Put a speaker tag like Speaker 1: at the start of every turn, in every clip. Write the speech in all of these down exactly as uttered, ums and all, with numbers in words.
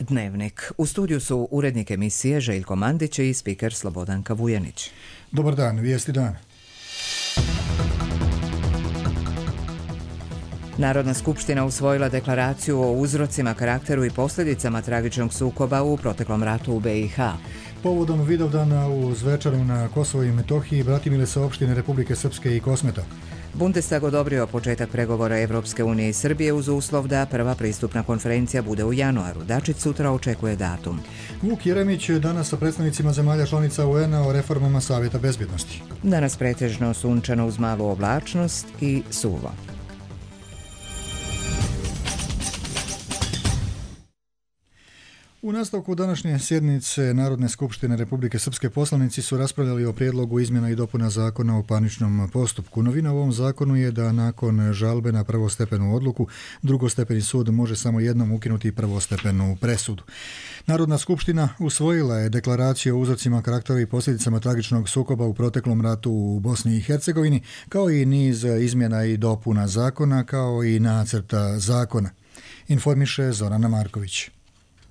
Speaker 1: Dnevnik. U studiju su urednik emisije Željko Mandić i spiker Slobodanka Vujanić.
Speaker 2: Dobar dan, vijesti dana.
Speaker 1: Narodna skupština usvojila deklaraciju o uzrocima, karakteru i posljedicama tragičnog sukoba u proteklom ratu u be i ha.
Speaker 2: Povodom Vidovdana u Zvečaru na Kosovo i Metohiji bratimile se opštine Republike Srpske i Kosmeta.
Speaker 1: Bundestag odobrio početak pregovora Evropske unije i Srbije uz uslov da prva pristupna konferencija bude u januaru. Dačić sutra očekuje datum.
Speaker 2: Vuk Jeremić danas sa predstavnicima zemalja članica u en a o reformama Savjeta bezbjednosti.
Speaker 1: Danas pretežno sunčano uz malu oblačnost i suvo.
Speaker 2: U nastavku današnje sjednice Narodne skupštine Republike Srpske poslanici su raspravljali o prijedlogu izmjena i dopuna zakona o parničnom postupku. Novina u ovom zakonu je da nakon žalbe na prvostepenu odluku drugostepeni sud može samo jednom ukinuti prvostepenu presudu. Narodna skupština usvojila je deklaraciju o uzrocima, karakteru i posljedicama tragičnog sukoba u proteklom ratu u Bosni i Hercegovini, kao i niz izmjena i dopuna zakona, kao i nacrta zakona. Informiše Zorana Marković.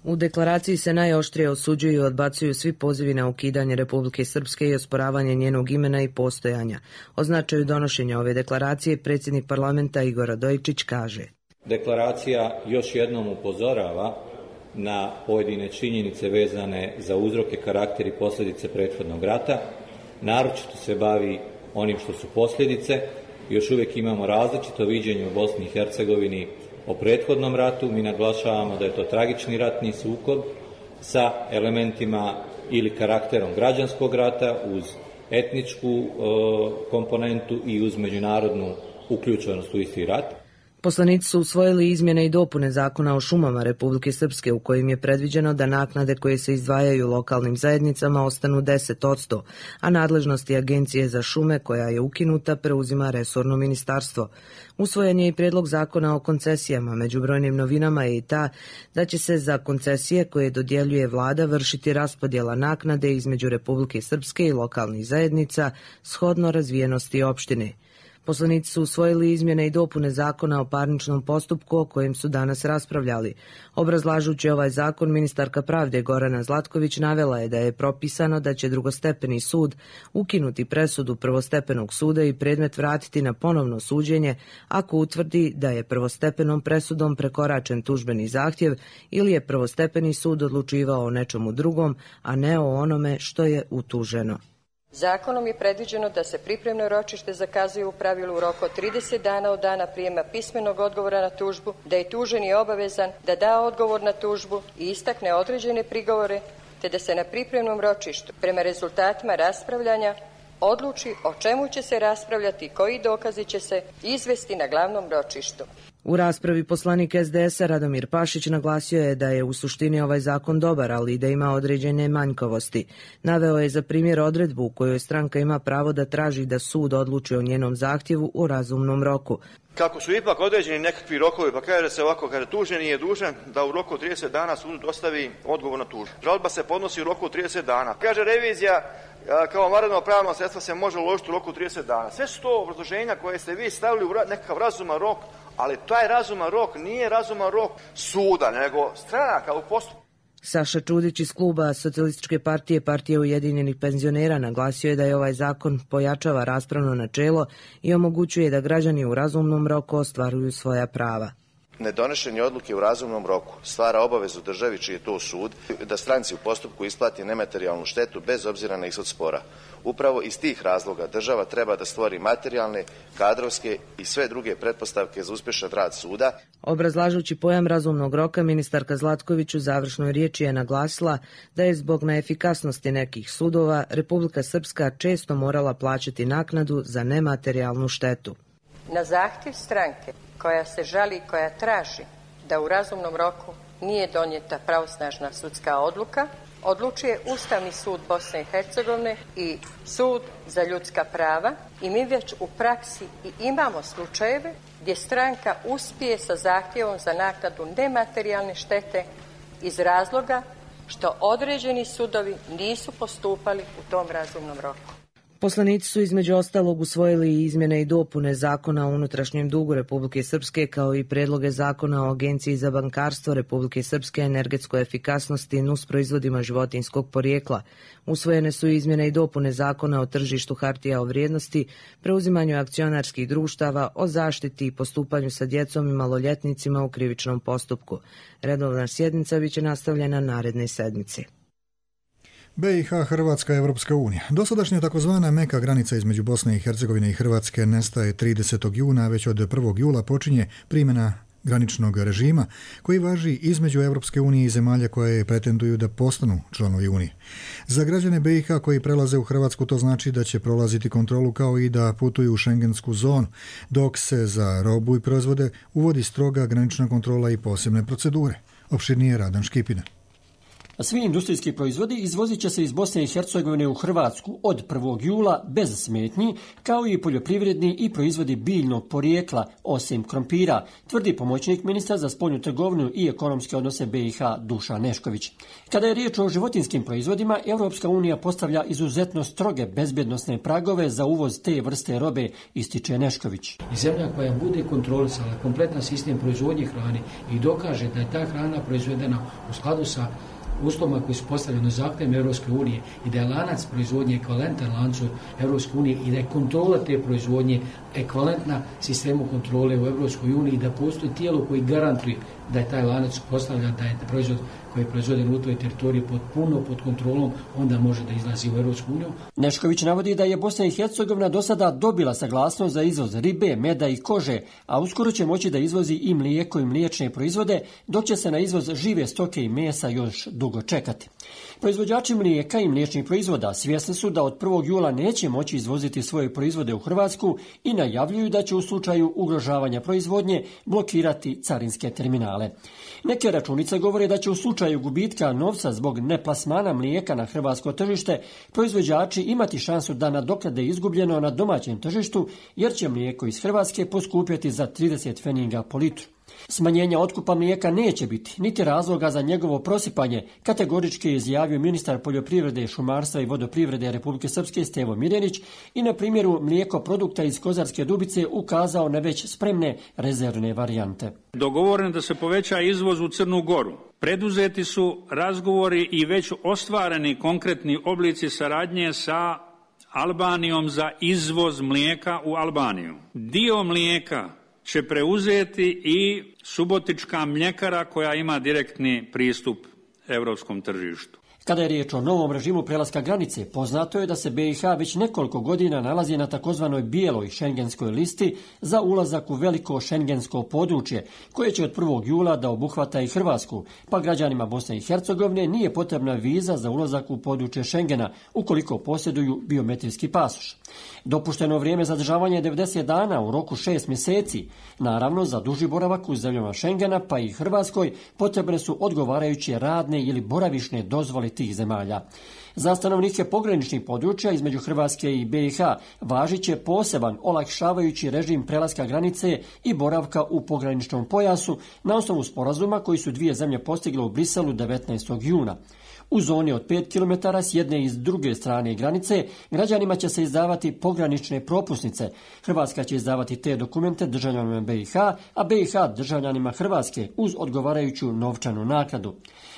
Speaker 3: U deklaraciji se najoštrije osuđuju i odbacuju svi pozivi na ukidanje Republike Srpske i osporavanje njenog imena i postojanja. O značaju donošenja ove deklaracije predsjednik parlamenta Igor Radojičić kaže:
Speaker 4: Deklaracija još jednom upozorava na pojedine činjenice vezane za uzroke, karakter i posljedice prethodnog rata. Naročito se bavi onim što su posljedice. Još uvijek imamo različito viđenje u Bosni i Hercegovini o prethodnom ratu. Mi naglašavamo da je to tragični ratni sukob sa elementima ili karakterom građanskog rata uz etničku e, komponentu i uz međunarodnu uključenost u isti rat.
Speaker 3: Poslanici su usvojili izmjene i dopune zakona o šumama Republike Srpske u kojim je predviđeno da naknade koje se izdvajaju lokalnim zajednicama ostanu deset posto, a nadležnosti Agencije za šume koja je ukinuta preuzima resorno ministarstvo. Usvojen je i prijedlog zakona o koncesijama. Među brojnim novinama je i ta da će se za koncesije koje dodjeljuje vlada vršiti raspodjela naknade između Republike Srpske i lokalnih zajednica shodno razvijenosti opštine. Poslanici su usvojili izmjene i dopune zakona o parničnom postupku o kojem su danas raspravljali. Obrazlažući ovaj zakon, ministarka pravde Gorana Zlatković navela je da je propisano da će drugostepeni sud ukinuti presudu prvostepenog suda i predmet vratiti na ponovno suđenje ako utvrdi da je prvostepenom presudom prekoračen tužbeni zahtjev ili je prvostepeni sud odlučivao o nečemu drugom, a ne o onome što je utuženo.
Speaker 5: Zakonom je predviđeno da se pripremno ročište zakazuje u pravilu u roku od trideset dana od dana prijema pismenog odgovora na tužbu, da je tuženi obavezan da da odgovor na tužbu i istakne određene prigovore, te da se na pripremnom ročištu prema rezultatima raspravljanja odluči o čemu će se raspravljati i koji dokazi će se izvesti na glavnom ročištu.
Speaker 3: U raspravi poslanik es de es a Radomir Pašić naglasio je da je u suštini ovaj zakon dobar, ali i da ima određene manjkavosti. Naveo je za primjer odredbu u kojoj stranka ima pravo da traži da sud odluči o njenom zahtjevu u razumnom roku.
Speaker 6: Kako su ipak određeni nekakvi rokovi, pa kaže se ovako, kada tuženi je dužan da u roku trideset dana sudu dostavi odgovor na tužbu. Žalba se podnosi u roku trideset dana. Kaže revizija, kao vanredno pravno sredstvo se može uložiti u roku trideset dana. Sve su to obrazloženja koje ste vi stavili u nekakav razuman rok, ali taj razuman rok nije razuman rok suda, nego stranaka u postupku.
Speaker 3: Saša Čudić iz kluba Socijalističke partije Partije ujedinjenih penzionera naglasio je da je ovaj zakon pojačava raspravno načelo i omogućuje da građani u razumnom roku ostvaruju svoja prava.
Speaker 7: Nedonošenje odluke u razumnom roku stvara obavezu državi čiji je to sud da stranci u postupku isplati nematerijalnu štetu bez obzira na ishod spora. Upravo iz tih razloga država treba da stvori materijalne, kadrovske i sve druge pretpostavke za uspješan rad suda.
Speaker 3: Obrazlažući pojam razumnog roka, ministarka Zlatković u završnoj riječi je naglasila da je zbog neefikasnosti nekih sudova Republika Srpska često morala plaćati naknadu za nematerijalnu štetu.
Speaker 5: Na zahtjev stranke koja se žali i koja traži da u razumnom roku nije donijeta pravosnažna sudska odluka, odlučuje Ustavni sud Bosne i Hercegovine i Sud za ljudska prava i mi već u praksi i imamo slučajeve gdje stranka uspije sa zahtjevom za naknadu nematerijalne štete iz razloga što određeni sudovi nisu postupali u tom razumnom roku.
Speaker 3: Poslanici su između ostalog usvojili i izmjene i dopune Zakona o unutrašnjem dugu Republike Srpske kao i predloge Zakona o Agenciji za bankarstvo Republike Srpske, energetskoj efikasnosti i nus proizvodima životinjskog porijekla. Usvojene su izmjene i dopune Zakona o tržištu hartija o vrijednosti, preuzimanju akcionarskih društava, o zaštiti i postupanju sa djecom i maloljetnicima u krivičnom postupku. Redovna sjednica biće nastavljena naredne sedmice.
Speaker 2: B i H, Hrvatska, Evropska unija. Dosadašnja takozvana meka granica između Bosne i Hercegovine i Hrvatske nestaje tridesetog juna, već od prvog jula počinje primjena graničnog režima koji važi između Evropske unije i zemalja koje pretenduju da postanu članovi Unije. Za građane B i H koji prelaze u Hrvatsku to znači da će prolaziti kontrolu kao i da putuju u šengensku zonu, dok se za robu i proizvode uvodi stroga granična kontrola i posebne procedure. Opširnije Radan Škipina.
Speaker 8: Svi industrijski proizvodi izvozit će se iz Bosne i Hercegovine u Hrvatsku od prvog jula bez smetnji, kao i poljoprivredni i proizvodi biljnog porijekla, osim krompira, tvrdi pomoćnik ministra za spoljnu trgovinu i ekonomske odnose B i H Dušan Nešković. Kada je riječ o životinjskim proizvodima, Europska unija postavlja izuzetno stroge bezbjednosne pragove za uvoz te vrste robe, ističe Nešković.
Speaker 9: I zemlja koja bude kontrolisala kompletan sistem proizvodnje hrane i dokaže da je ta hrana proizvedena u skladu sa uslovima koji su postavljeni zahtjevima Europske unije i da je lanac proizvodnje ekvivalentan lancu Europske unije i da je kontrola te proizvodnje ekvivalentna sistemu kontrole u Europskoj uniji i da postoji tijelo koji garantuje da je taj lanac postavljan, da je proizvod koji je proizvoden u toj teritoriji potpuno pod kontrolom, onda može da izlazi u Europsku uniju.
Speaker 8: Nešković navodi da je Bosna i Hercegovina do sada dobila saglasnost za izvoz ribe, meda i kože, a uskoro će moći da izvozi i mlijeko i mliječne proizvode, dok će se na izvoz žive stoke i mesa još dugo čekati. Proizvođači mlijeka i mliječnih proizvoda svjesni su da od prvog jula neće moći izvoziti svoje proizvode u Hrvatsku i najavljuju da će u slučaju ugrožavanja proizvodnje blokirati carinske terminale. Neke računice govore da će u slučaju gubitka novca zbog neplasmana mlijeka na hrvatsko tržište proizvođači imati šansu da nadoknade izgubljeno na domaćem tržištu, jer će mlijeko iz Hrvatske poskupjeti za trideset pfenninga po litru. Smanjenja otkupa mlijeka neće biti, niti razloga za njegovo prosipanje, kategorički je izjavio ministar poljoprivrede, šumarstva i vodoprivrede Republike Srpske Stevo Mirjanić i na primjeru mlijeko produkta iz Kozarske Dubice ukazao na već spremne rezervne varijante.
Speaker 10: Dogovoreno da se poveća izvoz u Crnu Goru. Preduzeti su razgovori i već ostvareni konkretni oblici saradnje sa Albanijom za izvoz mlijeka u Albaniju. Dio mlijeka će preuzeti i Subotička mljekara koja ima direktni pristup europskom tržištu.
Speaker 8: Kada je riječ o novom režimu prelaska granice, poznato je da se B i H već nekoliko godina nalazi na takozvanoj bijeloj šengenskoj listi za ulazak u veliko šengensko područje, koje će od prvog jula da obuhvata i Hrvatsku, pa građanima Bosne i Hercegovine nije potrebna viza za ulazak u područje Šengena, ukoliko posjeduju biometrijski pasoš. Dopušteno vrijeme zadržavanja je devedeset dana u roku šest mjeseci. Naravno, za duži boravak u zemljama Šengena, pa i Hrvatskoj, potrebne su odgovarajuće radne ili boravišne dozvole tih zemalja. Za stanovnike pograničnih područja između Hrvatske i B i H važit će poseban olakšavajući režim prelaska granice i boravka u pograničnom pojasu na osnovu sporazuma koji su dvije zemlje postigle u Briselu devetnaestog juna. U zoni od pet kilometara s jedne i s druge strane granice građanima će se izdavati pogranične propusnice. Hrvatska će izdavati te dokumente državljanima B i H, a B i H državljanima Hrvatske uz odgovarajuću novčanu naknadu.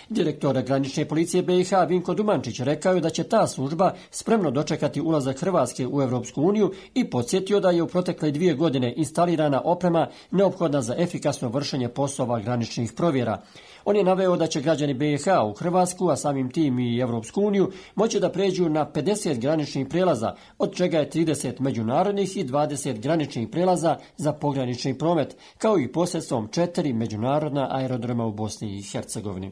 Speaker 8: Direktor granične policije B i H Vinko Dumančić rekao je da će ta služba spremno dočekati ulazak Hrvatske u Europsku uniju i podsjetio da je u protekle dvije godine instalirana oprema neophodna za efikasno vršenje poslova graničnih provjera. On je naveo da će građani B i H u Hrvatsku, a samim tim i Europsku uniju, moći da pređu na pedeset graničnih prelaza, od čega je trideset međunarodnih i dvadeset graničnih prelaza za pogranični promet, kao i posredstvom četiri međunarodna aerodroma u Bosni i Hercegovini.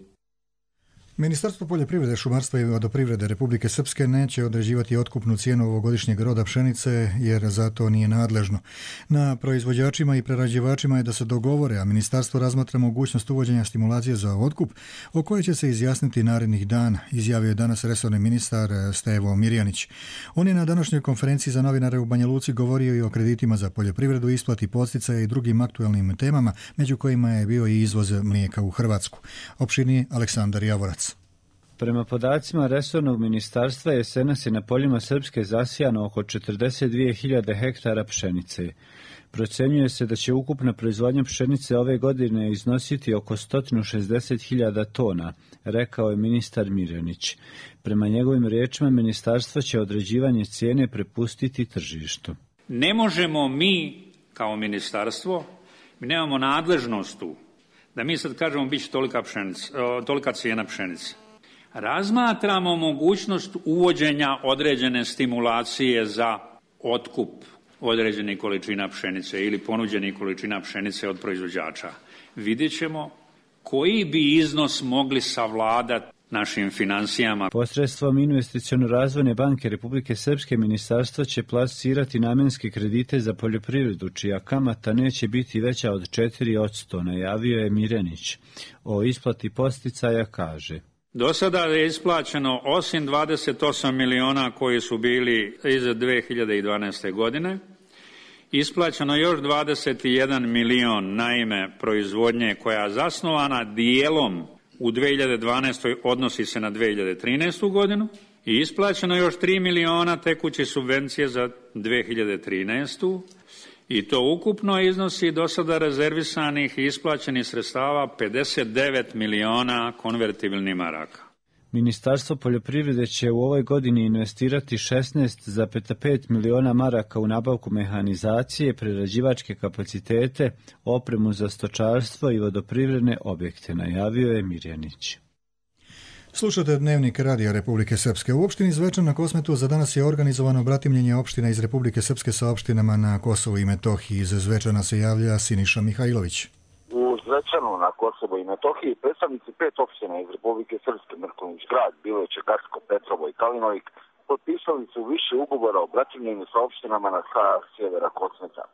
Speaker 2: Ministarstvo poljoprivrede, šumarstva i vodoprivrede Republike Srpske neće određivati otkupnu cijenu ovogodišnjeg roda pšenice jer za to nije nadležno. Na proizvođačima i prerađivačima je da se dogovore, a ministarstvo razmatra mogućnost uvođenja stimulacije za otkup o kojoj će se izjasniti narednih dana, izjavio je danas resorni ministar Stevo Mirjanić. On je na današnjoj konferenciji za novinare u Banja Luci govorio i o kreditima za poljoprivredu, isplati podsticaja i drugim aktualnim temama, među kojima je bio i izvoz mlijeka u Hrvatsku. Opširnije Aleksandar Javorac.
Speaker 11: Prema podacima resornog ministarstva, jesenas je na poljima Srpske zasijano oko četrdeset dvije hiljade hektara pšenice. Procenjuje se da će ukupna proizvodnja pšenice ove godine iznositi oko sto šezdeset hiljada tona, rekao je ministar Miljanić. Prema njegovim riječima, ministarstvo će određivanje cijene prepustiti tržištu.
Speaker 10: Ne možemo mi kao ministarstvo, mi nemamo nadležnost tu, da mi sad kažemo bit će tolika, pšenica, tolika cijena pšenice. Razmatramo mogućnost uvođenja određene stimulacije za otkup određenih količina pšenice ili ponuđenih količina pšenice od proizvođača. Vidjet ćemo koji bi iznos mogli savladati našim financijama.
Speaker 11: Posredstvom Investiciono-razvojne banke Republike Srpske ministarstvo će plasirati namjenske kredite za poljoprivredu, čija kamata neće biti veća od četiri posto, najavio je Miljanić. O isplati podsticaja kaže:
Speaker 10: Do sada je isplaćeno osim dvadeset osam miliona koji su bili iz dve hiljade dvanaeste. godine, isplaćeno još dvadeset jedan milion na ime proizvodnje koja je zasnovana dijelom u dve hiljade dvanaestoj. odnosi se na dve hiljade trinaestu. godinu i isplaćeno još tri miliona tekuće subvencije za dve hiljade trinaestu. i to ukupno iznosi do sada rezervisanih i isplaćenih sredstava pedeset devet miliona konvertibilnih maraka.
Speaker 11: Ministarstvo poljoprivrede će u ovoj godini investirati šesnaest zarez pet miliona maraka u nabavku mehanizacije, prerađivačke kapacitete, opremu za stočarstvo i vodoprivredne objekte, najavio je Miljanić.
Speaker 2: Slušate Dnevnik Radija Republike Srpske. U opštini Zvečan na Kosmetu za danas je organizovano bratimljenje opština iz Republike Srpske sa opštinama na Kosovu i Metohiji. Iz Zvečana se javlja Siniša Mihajlović.
Speaker 12: U Zvečanu na Kosovu i Metohiji predstavnici pet opština iz Republike Srpske, Mrkonjić grad, Biloviće, Garsko, Petrovo i Kalinovik, potpisali su više ugovora o bratimljenju sa opštinama na sa sjevera Kosmeta.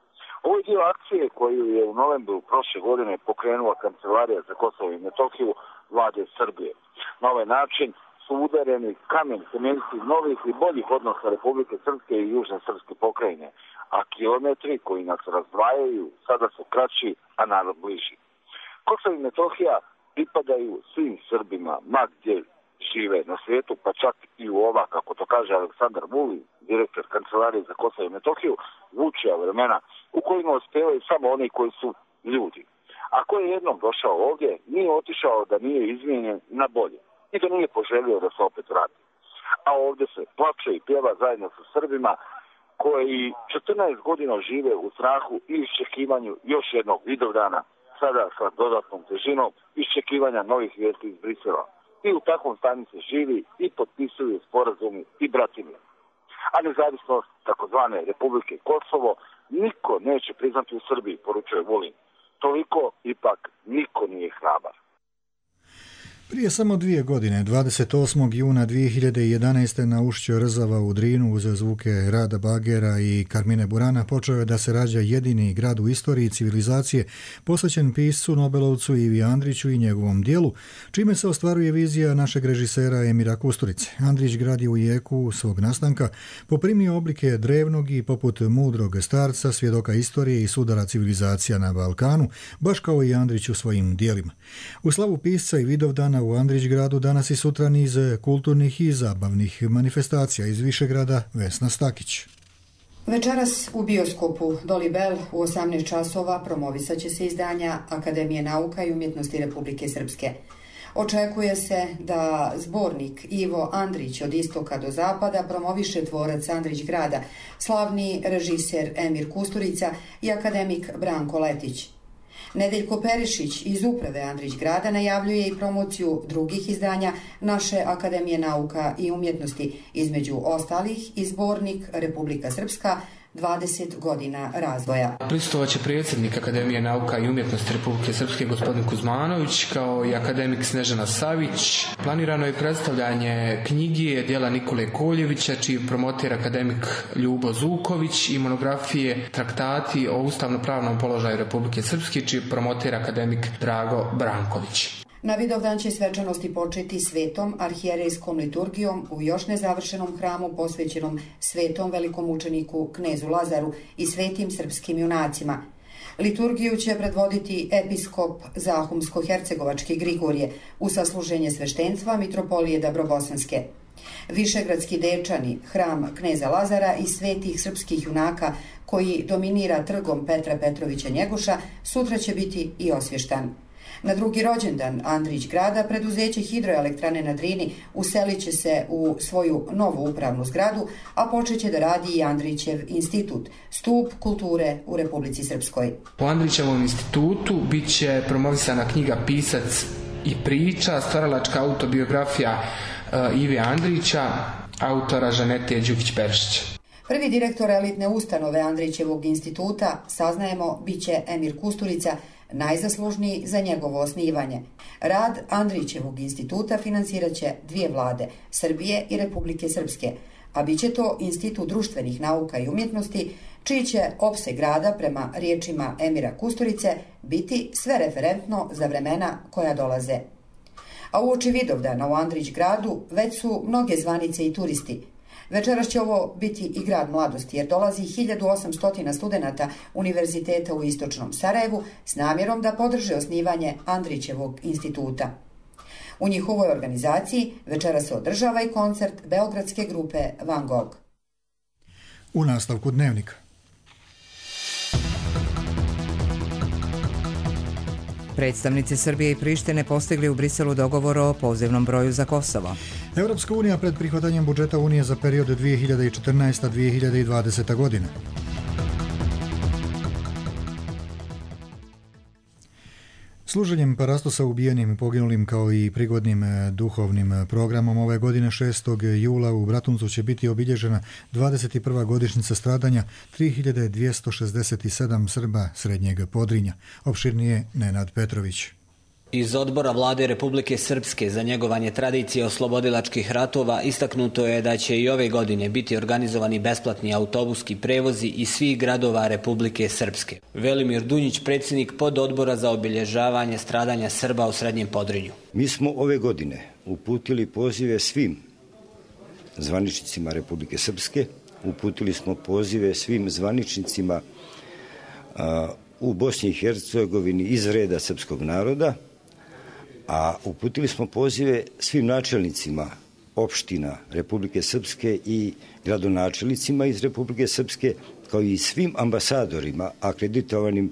Speaker 12: Ovo je dio akcije koju je u novembru prošle godine pokrenula Kancelarija za Kosovo i Metohiju vlade Srbije. Na ovaj način su udareni kamen temeljci novih i boljih odnosa Republike Srpske i Južne Srpske pokrajine, a kilometri koji nas razdvajaju sada su kraći, a narod bliži. Kosovo i Metohija pripadaju svim Srbima, ma gdje žive na svijetu, pa čak i u ova, kako to kaže Aleksandar Vulin, direktor Kancelarije za Kosovo i Metohiju, vučija vremena u kojima uspevaju samo oni koji su ljudi. Ako je jednom došao ovdje, nije otišao da nije izmijenjen na bolje i da nije poželio da se opet vrati. A ovdje se plače i pjeva zajedno sa Srbima koji četrnaest godina žive u strahu i iščekivanju još jednog Vidovdana, sada sa dodatnom težinom iščekivanja novih vijesti iz Brisela. I u takvom stanju se živi i potpisuju sporazumi i bratimlje. A nezavisnost takozvane Republike Kosovo niko neće priznati u Srbiji, poručuje Vulin. Toliko ipak niko nije hrabar.
Speaker 2: Prije samo dvije godine, dvadeset osmog juna dvije hiljade jedanaeste. na ušću Rzava u Drinu uz zvuke Rada Bagera i Karmine Burana počeo je da se rađa jedini grad u istoriji civilizacije posvećen piscu Nobelovcu Ivi Andriću i njegovom dijelu, čime se ostvaruje vizija našeg režisera Emira Kusturice. Andrić grad je u jeku svog nastanka poprimio oblike drevnog i poput mudrog starca, svjedoka istorije i sudara civilizacija na Balkanu, baš kao i Andrić u svojim dijelima. U slavu pisca i Vidovdana u Andrićgradu danas i sutra niz kulturnih i zabavnih manifestacija. Iz Višegrada Vesna Stakić.
Speaker 13: Večeras u bioskopu Dolibel u osamnaest časova promovisat će se izdanja Akademije nauka i umjetnosti Republike Srpske. Očekuje se da zbornik Ivo Andrić od istoka do zapada promoviše tvorac Andrićgrada, slavni režiser Emir Kusturica i akademik Branko Letić. Nedeljko Perišić iz uprave Andrićgrada najavljuje i promociju drugih izdanja naše Akademije nauka i umjetnosti, između ostalih i zbornik Republika Srpska, dvadeset godina razvoja.
Speaker 14: Prisustovat će predsjednik Akademije nauka i umjetnosti Republike Srpske gospodin Kuzmanović, kao i akademik Snežana Savić. Planirano je predstavljanje knjige djela Nikole Koljevića, čiji promoter akademik Ljubo Zuković, i monografije Traktati o ustavno-pravnom položaju Republike Srpske, čiji promoter akademik Drago Branković.
Speaker 13: Na Vidovdan će svečanosti početi svetom arhijerejskom liturgijom u još nezavršenom hramu posvećenom svetom velikom učeniku knezu Lazaru i svetim srpskim junacima. Liturgiju će predvoditi episkop Zahumsko-hercegovački Grigorije u sasluženje sveštenstva Mitropolije Dabrobosanske. Višegradski Dečani, hram kneza Lazara i svetih srpskih junaka koji dominira trgom Petra Petrovića Njegoša sutra će biti i osvještan. Na drugi rođendan Andrić grada preduzeće hidroelektrane na Drini uselit će se u svoju novu upravnu zgradu, a počeće da radi i Andrićev institut, stup kulture u Republici Srpskoj.
Speaker 14: U Andrićevom institutu bit će promovisana knjiga Pisac i priča, stvaralačka autobiografija uh, Ive Andrića, autora Žanete Đukić-Perišić.
Speaker 13: Prvi direktor elitne ustanove Andrićevog instituta, saznajemo, bit će Emir Kusturica, najzaslužniji za njegovo osnivanje. Rad Andrićevog instituta financirat će dvije vlade, Srbije i Republike Srpske, a bit će to Institut društvenih nauka i umjetnosti, čiji će opseg rada, prema riječima Emira Kusturice, biti sve referentno za vremena koja dolaze. A uoči Vidovdana u Andrić gradu već su mnoge zvanice i turisti. Večeras će ovo biti i grad mladosti, jer dolazi hiljadu osamsto studenata Univerziteta u Istočnom Sarajevu s namjerom da podrže osnivanje Andrićevog instituta. U njihovoj organizaciji večeras se održava i koncert beogradske grupe Van Gogh.
Speaker 2: U nastavku dnevnika.
Speaker 1: Predstavnici Srbije i Prištine postigli u Briselu dogovor o pozivnom broju za Kosovo.
Speaker 2: Europska unija pred prihvatanjem budžeta Unije za period dvije hiljade četrnaesta do dvije hiljade dvadeseta godina. Služenjem parastosa ubijenim i poginulim kao i prigodnim duhovnim programom ove godine šestog jula u Bratuncu će biti obilježena dvadeset prva godišnjica stradanja tri hiljade dvjesto šezdeset sedam Srba Srednjeg Podrinja. Opširnije Nenad Petrović.
Speaker 15: Iz odbora vlade Republike Srpske za njegovanje tradicije oslobodilačkih ratova istaknuto je da će i ove godine biti organizovani besplatni autobuski prevozi iz svih gradova Republike Srpske. Velimir Dunjić, predsjednik pododbora za obilježavanje stradanja Srba u Srednjem Podrinju.
Speaker 16: Mi smo ove godine uputili pozive svim zvaničnicima Republike Srpske, uputili smo pozive svim zvaničnicima a, u Bosni i Hercegovini iz reda srpskog naroda, a uputili smo pozive svim načelnicima opština Republike Srpske i gradonačelnicima iz Republike Srpske, kao i svim ambasadorima akreditovanim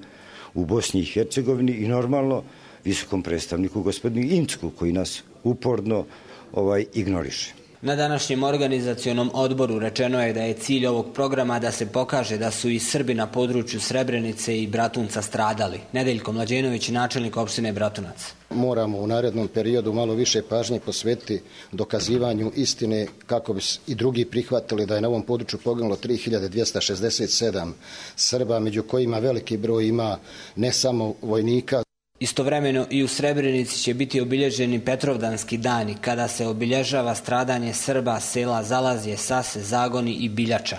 Speaker 16: u Bosni i Hercegovini i normalno visokom predstavniku gospodinu Incku, koji nas uporno ovaj, ignoriše.
Speaker 15: Na današnjem organizacionom odboru rečeno je da je cilj ovog programa da se pokaže da su i Srbi na području Srebrenice i Bratunca stradali. Nedeljko Mlađenović, načelnik opštine Bratunac.
Speaker 17: Moramo u narednom periodu malo više pažnje posvetiti dokazivanju istine kako bi i drugi prihvatili da je na ovom području poginulo tri hiljade dvjesto šezdeset sedam Srba, među kojima veliki broj ima ne samo vojnika.
Speaker 15: Istovremeno i u Srebrenici će biti obilježeni Petrovdanski dani, kada se obilježava stradanje Srba sela Zalazje, Sase, Zagoni i Biljača.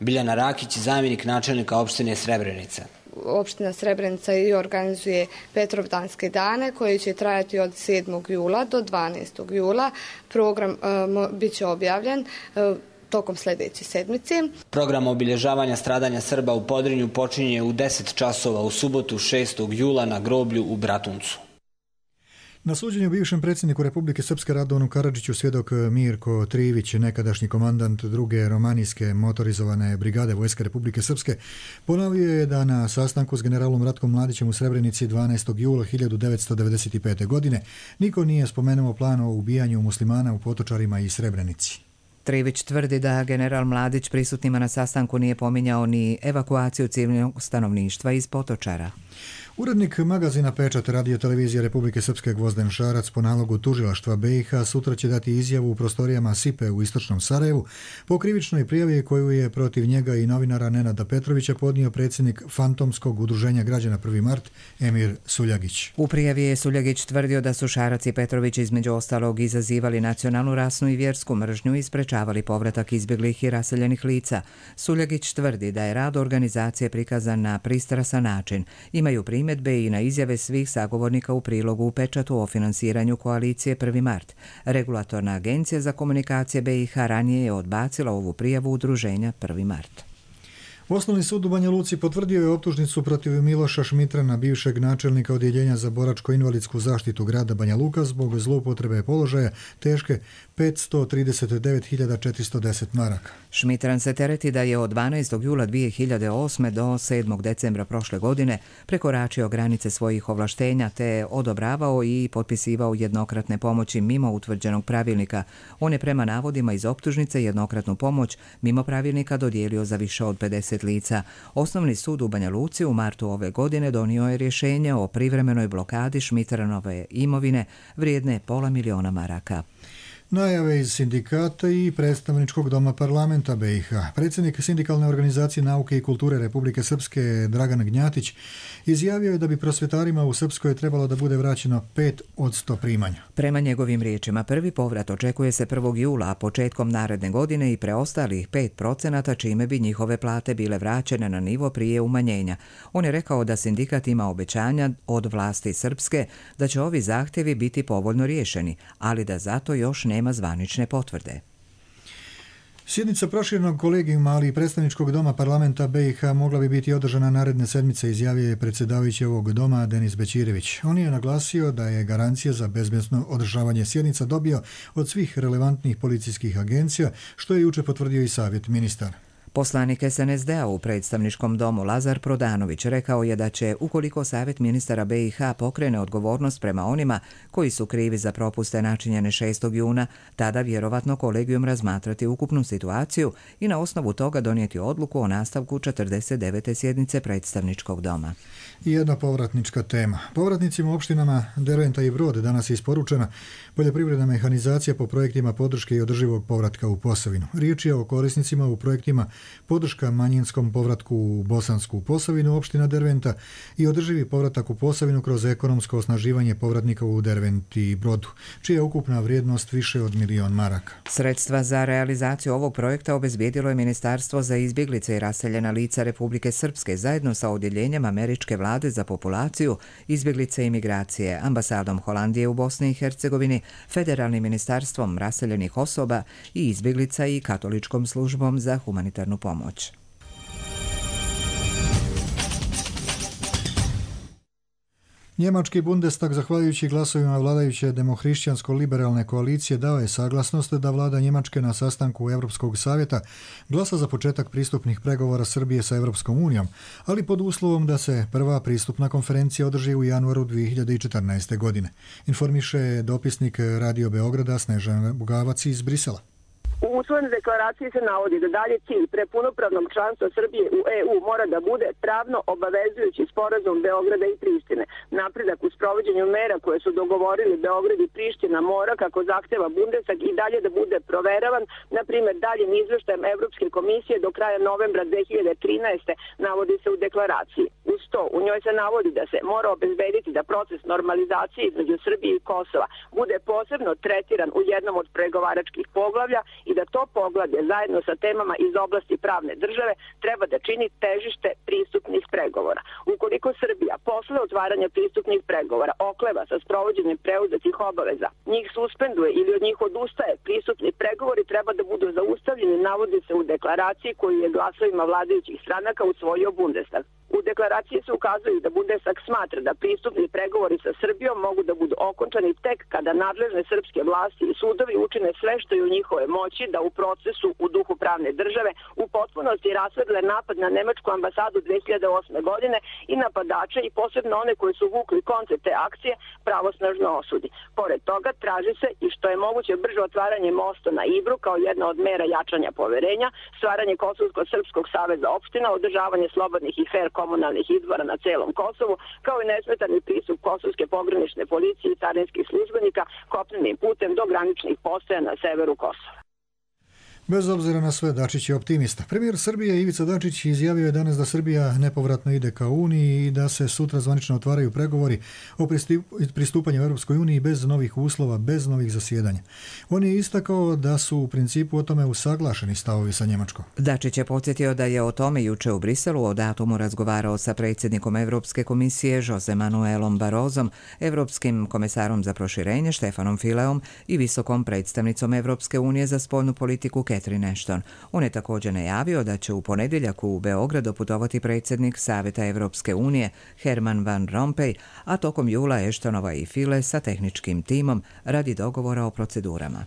Speaker 15: Biljana Rakić, zamjenik načelnika opštine Srebrenica.
Speaker 18: Opština Srebrenica i organizuje Petrovdanske dane koji će trajati od sedmog jula do dvanaestog jula. Program uh, bit će objavljen uh, tokom sljedeće sedmice.
Speaker 15: Program obilježavanja stradanja Srba u Podrinju počinje u deset časova u subotu šestog jula na groblju u Bratuncu.
Speaker 2: Na suđenju bivšem predsjedniku Republike Srpske Radovanu Karadžiću svjedok Mirko Trivić, nekadašnji komandant druge romanijske motorizovane brigade Vojske Republike Srpske, ponovio je da na sastanku s generalom Ratkom Mladićem u Srebrenici dvanaestog jula hiljadu devetsto devedeset pete. godine niko nije spomenuo plan o ubijanju muslimana u Potočarima i Srebrenici.
Speaker 1: Trivić tvrdi da general Mladić prisutnima na sastanku nije pominjao ni evakuaciju civilnog stanovništva iz Potočara.
Speaker 2: Urednik magazina Pečat radio televizije Republike Srpske Gvozden Šarac po nalogu tužilaštva B i H sutra će dati izjavu u prostorijama Sipe u Istočnom Sarajevu po krivičnoj prijavi koju je protiv njega i novinara Nenada Petrovića podnio predsjednik fantomskog udruženja građana prvi mart Emir Suljagić.
Speaker 1: U prijavi je Suljagić tvrdio da su Šarac i Petrović između ostalog izazivali nacionalnu, rasnu i vjersku mržnju i sprečavali povratak izbjeglih i raseljenih lica. Suljagić tvrdi da je rad organizacije prikazan na pristrasan način. Imaju primjer primjedbe i na izjave svih sagovornika u prilogu u Pečatu o finansiranju koalicije prvi mart. Regulatorna agencija za komunikacije B i H ranije je odbacila ovu prijavu udruženja prvi mart.
Speaker 2: Osnovni sud u Banja Luci potvrdio je optužnicu protiv Miloša Šmitrana, bivšeg načelnika Odjeljenja za boračko-invalidsku zaštitu grada Banja Luka zbog zloupotrebe položaja teške petsto trideset devet hiljada četiristo deset maraka.
Speaker 1: Šmitran se tereti da je od dvanaestog jula dvije hiljade osme do sedmog decembra prošle godine prekoračio granice svojih ovlaštenja te odobravao i potpisivao jednokratne pomoći mimo utvrđenog pravilnika. On je prema navodima iz optužnice jednokratnu pomoć mimo pravilnika dodijelio za više od pedeset lica. Osnovni sud u Banja Luci u martu ove godine donio je rješenje o privremenoj blokadi Šmitranove imovine vrijedne pola miliona maraka.
Speaker 2: Najave iz sindikata i predstavničkog doma parlamenta B i H. Predsjednik Sindikalne organizacije nauke i kulture Republike Srpske Dragan Gnjatić izjavio je da bi prosvjetarima u Srpskoj trebalo da bude vraćeno pet od sto primanja.
Speaker 1: Prema njegovim riječima, prvi povrat očekuje se prvog jula, a početkom naredne godine i preostalih pet procenata, čime bi njihove plate bile vraćene na nivo prije umanjenja. On je rekao da sindikat ima obećanja od vlasti Srpske da će ovi zahtjevi biti povoljno riješeni, ali da zato još nema zvanične potvrde.
Speaker 2: Sjednica proširenog kolegijuma, ali i predstavničkog doma parlamenta B i H mogla bi biti održana naredne sedmice, izjavio je predsjedavajući ovog doma Denis Bećirević. On je naglasio da je garancija za bezbedno održavanje sjednica dobio od svih relevantnih policijskih agencija, što je juče potvrdio i savjet ministara.
Speaker 1: Poslanik S N S D-a u predstavničkom domu Lazar Prodanović rekao je da će, ukoliko savjet ministara B i H pokrene odgovornost prema onima koji su krivi za propuste načinjene šestog juna, tada vjerovatno kolegijum razmatrati ukupnu situaciju i na osnovu toga donijeti odluku o nastavku četrdeset devete sjednice predstavničkog doma.
Speaker 2: I jedna povratnička tema. Povratnicima opštinama Derventa i Brod danas je isporučena poljoprivredna mehanizacija po projektima podrške i održivog povratka u Posavinu. Riječ je o korisnicima u projektima podrška manjinskom povratku u Bosansku Posavinu, opština Derventa, i održivi povratak u Posavinu kroz ekonomsko osnaživanje povratnika u Derventi i Brodu, čija je ukupna vrijednost više od milion maraka.
Speaker 1: Sredstva za realizaciju ovog projekta obezbijedilo je Ministarstvo za izbjeglice i raseljena lica Republike Srpske zajedno sa odjeljenjem Američke vlade za populaciju, izbjeglice i migracije, ambasadom Holandije u Bosni i Hercegovini, Federalnim ministarstvom raseljenih osoba i izbjeglica i Katoličkom službom za humanitarnu pomoć.
Speaker 2: Njemački Bundestag, zahvaljujući glasovima vladajuće demohrišćansko-liberalne koalicije, dao je saglasnost da vlada Njemačke na sastanku Europskog savjeta glasa za početak pristupnih pregovora Srbije sa Europskom unijom, ali pod uslovom da se prva pristupna konferencija održi u januaru dvije hiljade četrnaeste. godine. Informiše dopisnik Radio Beograda Snežana Bugavac iz Brisela.
Speaker 19: U usvojenoj deklaraciji se navodi da dalje cilj pre punopravnog članstva Srbije u E U mora da bude pravno obavezujući sporazum Beograda i Prištine. Napredak u sprovođenju mera koje su dogovorili Beograd i Priština mora, kako zahteva Bundestag, i dalje da bude proveravan, na primjer daljim izveštajem Evropske komisije do kraja novembra dvije hiljade trinaeste. navodi se u deklaraciji. Uz to, u njoj se navodi da se mora obezbediti da proces normalizacije između Srbije i Kosova bude posebno tretiran u jednom od pregovaračkih poglavlja i da to poglavlje zajedno sa temama iz oblasti pravne države treba da čini težište pristupnih pregovora. Ukoliko Srbija posle otvaranja pristupnih pregovora okleva sa sprovođenjem preuzetih obaveza, njih suspenduje ili od njih odustaje, pristupni pregovori treba da budu zaustavljeni, navodi se u deklaraciji koju je glasovima vladajućih stranaka usvojio Bundestag. U deklaraciji se ukazuje da Bundestag smatra da pristupni pregovori sa Srbijom mogu da budu okončani tek kada nadležne srpske vlasti i sudovi učine sve što je u njihove moći da u procesu u duhu pravne države u potpunosti rasvedle napad na nemačku ambasadu dvije hiljade osme. godine i napadače i posebno one koji su vukli koncept te akcije pravosnažno osudi. Pored toga traži se i što je moguće brže otvaranje mosta na Ibru kao jedna od mera jačanja poverenja, stvaranje Kosovsko-srpskog saveza opština, održavanje slobodnih i fair komunalnih izbora na celom Kosovu, kao i nesmetani pristup kosovske pogranične policije i carinskih službenika kopnenim putem do graničnih postaja na severu Kosova.
Speaker 2: Bez obzira na sve, Dačić je optimista. Premijer Srbije Ivica Dačić izjavio je danas da Srbija nepovratno ide ka Uniji i da se sutra zvanično otvaraju pregovori o pristupanju Europskoj uniji bez novih uslova, bez novih zasjedanja. On je istakao da su u principu o tome usaglašeni stavovi sa Njemačkom.
Speaker 1: Dačić je podsjetio da je o tome juče u Briselu o datumu razgovarao sa predsjednikom Europske komisije Jose Manuelom Barozom, Europskim komesarom za proširenje Štefanom Fileom i visokom predstavnicom Europske unije za spoljnu politiku Catherine Ashton. On je također najavio da će u ponedjeljak u Beograd doputovati predsjednik Savjeta Evropske unije Herman Van Rompuy, a tokom jula Ashtonova i File sa tehničkim timom radi dogovora o procedurama.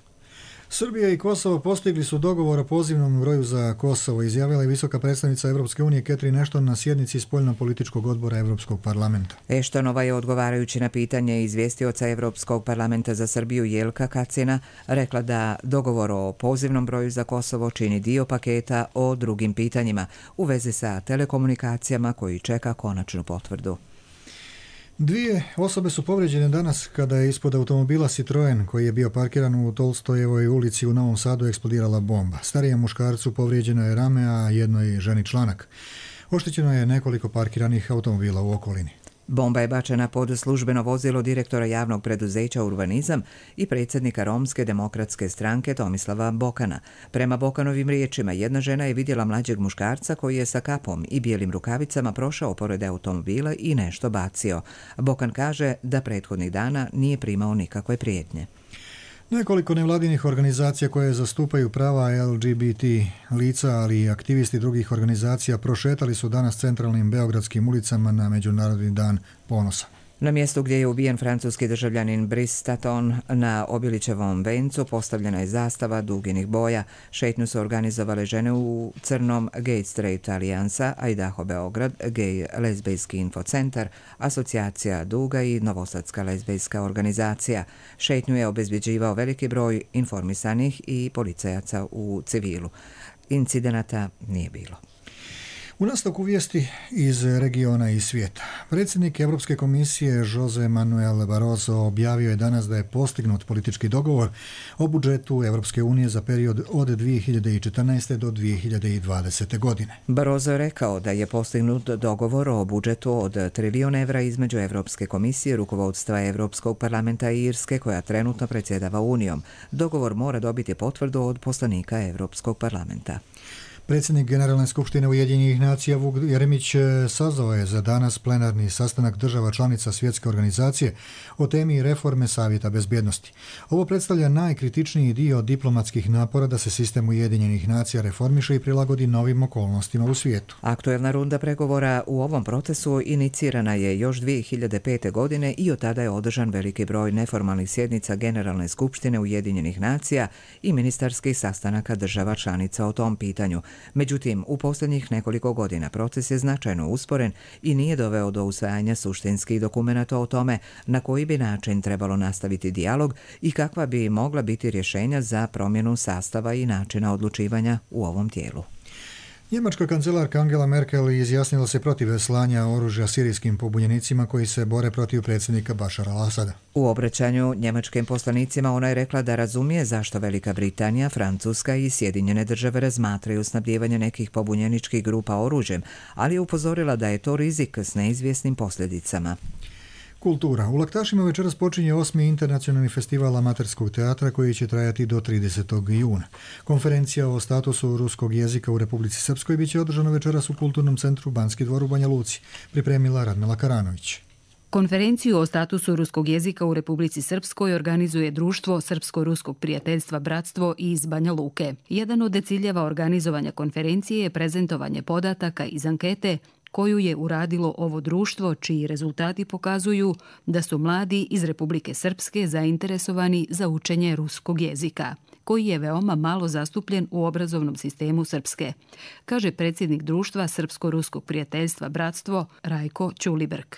Speaker 2: Srbija i Kosovo postigli su dogovor o pozivnom broju za Kosovo, izjavila je visoka predstavnica Evropske unije Catherine Ashton na sjednici spoljno-političkog odbora Evropskog parlamenta.
Speaker 1: Ashtonova je odgovarajući na pitanje izvjestioca Evropskog parlamenta za Srbiju Jelka Kacina rekla da dogovor o pozivnom broju za Kosovo čini dio paketa o drugim pitanjima u vezi sa telekomunikacijama koji čeka konačnu potvrdu.
Speaker 2: Dvije osobe su povrijeđene danas kada je ispod automobila Citroen koji je bio parkiran u Tolstojevoj ulici u Novom Sadu eksplodirala bomba. Starijem muškarcu povrijeđeno je rame, a jednoj ženi članak. Oštećeno je nekoliko parkiranih automobila u okolini.
Speaker 1: Bomba je bačena pod službeno vozilo direktora javnog preduzeća Urbanizam i predsjednika Romske demokratske stranke Tomislava Bokana. Prema Bokanovim riječima, jedna žena je vidjela mlađeg muškarca koji je sa kapom i bijelim rukavicama prošao pored automobila i nešto bacio. Bokan kaže da prethodnih dana nije primao nikakve prijetnje.
Speaker 2: Nekoliko nevladinih organizacija koje zastupaju prava L G B T lica, ali i aktivisti drugih organizacija prošetali su danas centralnim beogradskim ulicama na Međunarodni dan ponosa.
Speaker 1: Na mjestu gdje je ubijen francuski državljanin Brice Taton na Obilićevom vencu postavljena je zastava duginih boja. Šetnju su organizovale žene u crnom Gay Straight Alijansa, Idaho Beograd, Gay Lezbejski infocentar, Asocijacija Duga i Novosadska lezbejska organizacija. Šetnju je obezbjeđivao veliki broj informisanih i policajaca u civilu. Incidenata nije bilo.
Speaker 2: U nastavku vijesti iz regiona i svijeta. Predsjednik Europske komisije Jose Manuel Barroso objavio je danas da je postignut politički dogovor o budžetu Europske unije za period od dvije hiljade četrnaeste do dvije hiljade dvadesete. godine.
Speaker 1: Barroso je rekao da je postignut dogovor o budžetu od trilijon evra između Europske komisije, rukovodstva Europskog parlamenta i Irske koja trenutno predsjedava Unijom. Dogovor mora dobiti potvrdu od poslanika Europskog parlamenta.
Speaker 2: Predsjednik Generalne skupštine Ujedinjenih nacija Vuk Jeremić sazvao je za danas plenarni sastanak država članica Svjetske organizacije o temi reforme Savjeta bezbjednosti. Ovo predstavlja najkritičniji dio diplomatskih napora da se sistem Ujedinjenih nacija reformiše i prilagodi novim okolnostima u svijetu.
Speaker 1: Aktuelna runda pregovora u ovom procesu inicirana je još dvije hiljade pete. godine i od tada je održan veliki broj neformalnih sjednica Generalne skupštine Ujedinjenih nacija i ministarskih sastanaka država članica o tom pitanju. Međutim, u posljednjih nekoliko godina proces je značajno usporen i nije doveo do usvajanja suštinskih dokumenata o tome na koji bi način trebalo nastaviti dijalog i kakva bi mogla biti rješenja za promjenu sastava i načina odlučivanja u ovom tijelu.
Speaker 2: Njemačka kancelarka Angela Merkel izjasnila se protiv slanja oružja sirijskim pobunjenicima koji se bore protiv predsjednika Bašara al-Asada.
Speaker 1: U obraćanju njemačkim poslanicima ona je rekla da razumije zašto Velika Britanija, Francuska i Sjedinjene države razmatraju snabdijevanje nekih pobunjeničkih grupa oružjem, ali je upozorila da je to rizik s neizvjesnim posljedicama.
Speaker 2: Kultura. U Laktašima večeras počinje osmi internacionalni festival amaterskog teatra koji će trajati do tridesetog juna. Konferencija o statusu ruskog jezika u Republici Srpskoj biće održana večeras u Kulturnom centru Banski dvor u Banja Luci, pripremila Radmila Karanović.
Speaker 20: Konferenciju o statusu ruskog jezika u Republici Srpskoj organizuje Društvo Srpsko-ruskog prijateljstva Bratstvo iz Banja Luke. Jedan od ciljeva organizovanja konferencije je prezentovanje podataka iz ankete koju je uradilo ovo društvo, čiji rezultati pokazuju da su mladi iz Republike Srpske zainteresovani za učenje ruskog jezika, koji je veoma malo zastupljen u obrazovnom sistemu Srpske, kaže predsjednik Društva Srpsko-ruskog prijateljstva Bratstvo Rajko Ćulibrk.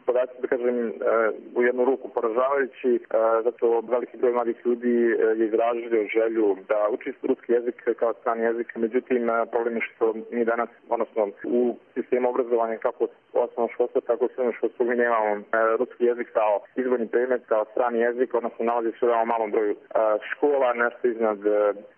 Speaker 21: Podaci, da kažem, u jednu ruku poražavajući, zato veliki broj mladih ljudi je izrazio želju da uči ruski jezik kao strani jezik. Međutim, problem je što mi danas, odnosno u sistemu obrazovanja kako osnovno školstva, tako i srednje školstvo, mi nemamo ruski jezik kao izborni predmet, kao strani jezik, odnosno nalazi se u veoma malom broju škola, nešto iznad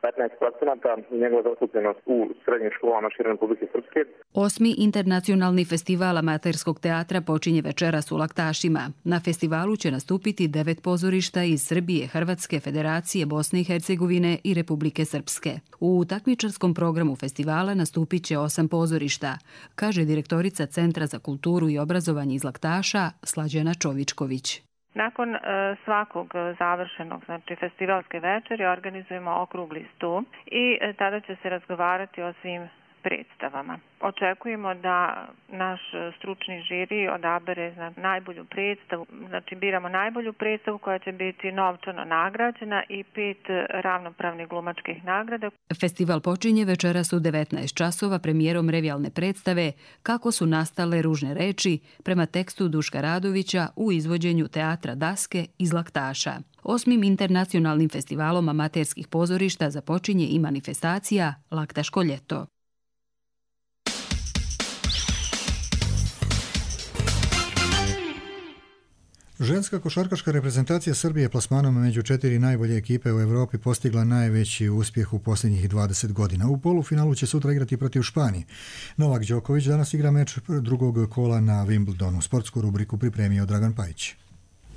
Speaker 21: petnaest procenata i njegova zastupljenost u srednjim školama širom Republike Srpske.
Speaker 20: Osmi internacionalni festival amaterskog teatra počinje večeras u Laktašima. Na festivalu će nastupiti devet pozorišta iz Srbije, Hrvatske, Federacije, Bosne i Hercegovine i Republike Srpske. U takmičarskom programu festivala nastupit će osam pozorišta, kaže direktorica Centra za kulturu i obrazovanje iz Laktaša Slađana Čovičković.
Speaker 4: Nakon e, svakog završenog, znači festivalske večeri, organizujemo okrugli sto i e, tada će se razgovarati o svim predstavama. Očekujemo da naš stručni žiri odabere za najbolju predstavu, znači biramo najbolju predstavu koja će biti novčano nagrađena i pet ravnopravnih glumačkih nagrada.
Speaker 20: Festival počinje večeras u devetnaest časova premijerom revijalne predstave Kako su nastale ružne reči prema tekstu Duška Radovića u izvođenju Teatra Daske iz Laktaša. Osmim internacionalnim festivalom amaterskih pozorišta započinje i manifestacija Laktaško ljeto.
Speaker 2: Ženska košarkaška reprezentacija Srbije plasmanom među četiri najbolje ekipe u Europi postigla najveći uspjeh u posljednjih dvadeset godina. U polufinalu će sutra igrati protiv Španije. Novak Đoković danas igra meč drugog kola na Wimbledonu. Sportsku rubriku pripremio Dragan Pajić.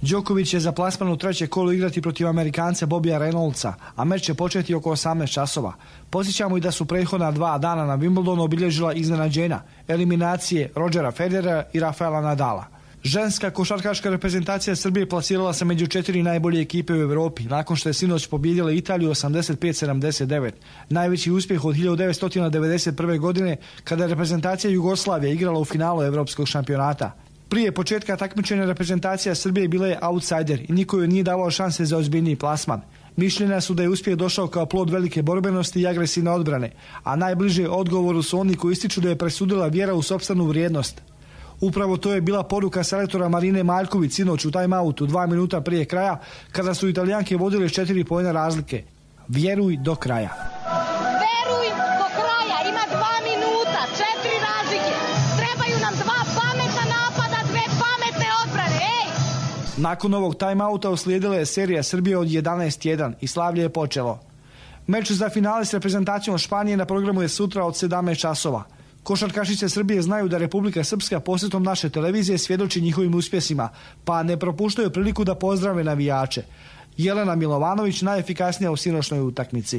Speaker 22: Đoković je za plasman u treće kolo igrati protiv Amerikanca Bobija Reynoldsa, a meč će početi oko osamnaest časova. Podsjećamo i da su prethodna dva dana na Wimbledonu obilježila iznenađenja, eliminacije Rodgera Federera i Rafaela Nadala. Ženska košarkaška reprezentacija Srbije plasirala se među četiri najbolje ekipe u Europi, nakon što je sinoć pobijedila Italiju osamdeset pet sedamdeset devet. Najveći uspjeh od hiljadu devetsto devedeset prve. godine, kada je reprezentacija Jugoslavije igrala u finalu Evropskog šampionata. Prije početka takmičenja reprezentacija Srbije bila je outsider i niko joj nije davao šanse za ozbiljniji plasman. Mišljenja su da je uspjeh došao kao plod velike borbenosti i agresivne odbrane, a najbliže odgovoru su oni koji ističu da je presudila vjera u sopstvenu vrijednost. Upravo to je bila poruka selektora Marine Maljković sinoć u time-outu dva minuta prije kraja, kada su Italijanke vodile s četiri poena razlike. Vjeruj do kraja.
Speaker 23: Veruj do kraja, ima dva minuta, četiri razlike. Trebaju nam dva pametna napada, dve pametne odbrane, ej!
Speaker 22: Nakon ovog time-outa uslijedila je serija Srbije od jedanaest jedan i slavlje je počelo. Meč za finale s reprezentacijom Španije na programu je sutra od sedamnaest časova. Košarkašice Srbije znaju da Republika Srpska posjetom naše televizije svjedoči njihovim uspjesima, pa ne propuštaju priliku da pozdrave navijače. Jelena Milovanović najefikasnija u sinoćnoj utakmici.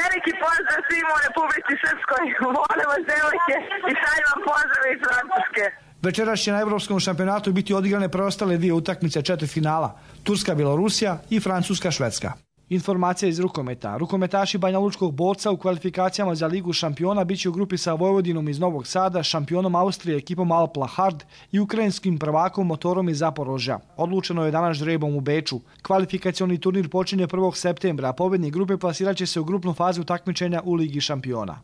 Speaker 24: Veliki pozdrav svima u Republici Srpskoj, volim vas devojke i šaljem vam pozdrav iz Francuske.
Speaker 22: Večeras će na Evropskom šampionatu biti odigrane preostale dvije utakmice četvrtfinala, Turska-Bjelorusija i Francuska-Švedska. Informacija iz rukometa. Rukometaši Banjalučkog Borca u kvalifikacijama za Ligu šampiona biće u grupi sa Vojvodinom iz Novog Sada, šampionom Austrije ekipom Alpla Hard i ukrajinskim prvakom Motorom iz Zaporožja. Odlučeno je danas žrebom u Beču. Kvalifikacioni turnir počinje prvog septembra, a pobjednik grupe plasirat će se u grupnu fazu takmičenja u Ligi šampiona.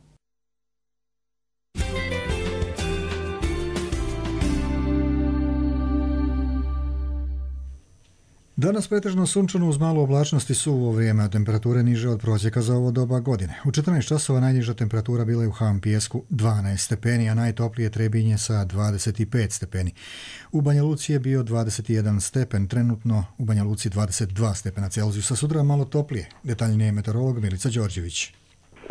Speaker 2: Danas pretežno sunčano uz malo oblačnosti suvo vrijeme, a temperature niže od prosjeka za ovo doba godine. U četrnaest časova najniža temperatura bila je u Ham Pijesku dvanaest stepeni, a najtoplije Trebinje sa dvadeset pet stepeni. U Banja Luci je bio dvadeset jedan stepen, trenutno u Banja Luci dvadeset dva stepena Celzijusa, sutra malo toplije. Detaljnije meteorolog Milica Đorđević.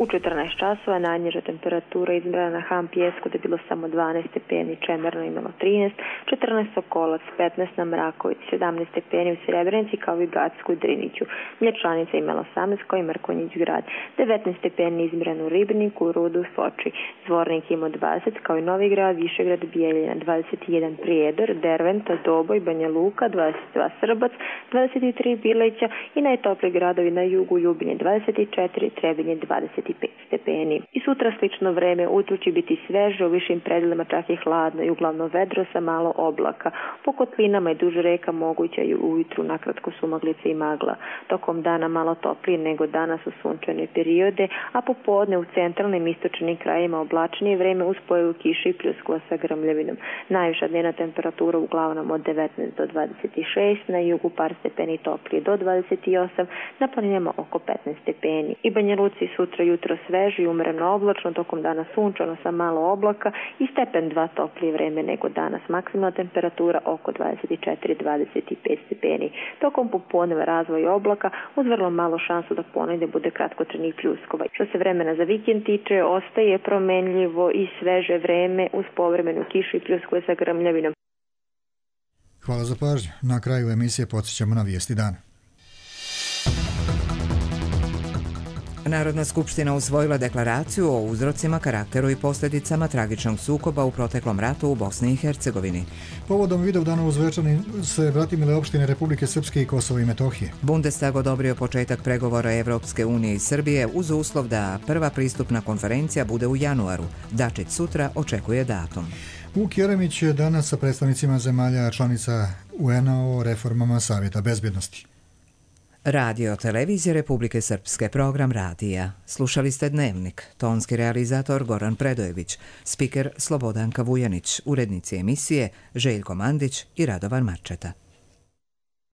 Speaker 25: U četrnaest časova najniža temperatura izmjerena na Ham Pijesku da je bilo samo dvanaest stepeni, Čemerno imalo trinaest, četrnaest Sokolac, petnaest na Mraković, sedamnaest stepeni u Srebrenici kao i Gacku i Driniću. Mlječanica imala osamnaest kao i Mrkonjić grad, devetnaest stepeni izmjereno u Ribniku, Rudu, Foči. Zvornik imao dvadeset kao i Novi grad, Višegrad, Bijeljina, dvadeset jedan Prijedor, Derventa, Doboj, Banja Luka, dvadeset dva Srbac, dvadeset tri Bileća i najtopliji gradovi na jugu Ljubinje dvadeset četiri, Trebinje dvadeset pet stepeni. I sutra slično vreme, utro će biti sveže, u višim predjelima čak i hladno i uglavnom vedro sa malo oblaka. Po kotlinama i duž reka moguća je ujutru nakratko sumaglice i magla. Tokom dana malo toplije nego danas u sunčane periode, a popodne u centralnim istočnim krajima oblačnije vreme uz pojavu kiše i pljuskova sa grmljavinom. Najviša dnevna temperatura uglavnom od devetnaest do dvadeset šest, na jugu par stepeni toplije do dvadeset osam, na planinama oko petnaest stepeni. I Banja Luci sutra jutro sveže i umjereno oblačno, tokom dana sunčano sa malo oblaka i stepen dva toplije vreme nego danas. Maksimalna temperatura oko dvadeset četiri do dvadeset pet stepeni. Tokom popodneva razvoj oblaka uz vrlo malo šansu da ponegdje bude kratkotrajnih pljuskova. Što se vremena za vikend tiče, ostaje promenljivo i sveže vreme uz povremenu kišu i pljuskove sa grmljavinom.
Speaker 2: Hvala za pažnju. Na kraju emisije podsjećamo na vijesti dana.
Speaker 1: Narodna skupština usvojila deklaraciju o uzrocima, karakteru i posljedicama tragičnog sukoba u proteklom ratu u Bosni i Hercegovini.
Speaker 2: Povodom Vidovdana u Zvečani se bratimile opštine Republike Srpske i Kosova i Metohije.
Speaker 1: Bundestag odobrio početak pregovora Evropske unije i Srbije uz uslov da prva pristupna konferencija bude u januaru. Dačić sutra očekuje datum.
Speaker 2: Vuk Jeremić je danas sa predstavnicima zemalja članica U N-a o reformama Savjeta bezbjednosti.
Speaker 1: Radio televizije Republike Srpske, program radija. Slušali ste Dnevnik, tonski realizator Goran Predojević, spiker Slobodanka Vujanić, urednici emisije Željko Mandić i Radovan Marčeta.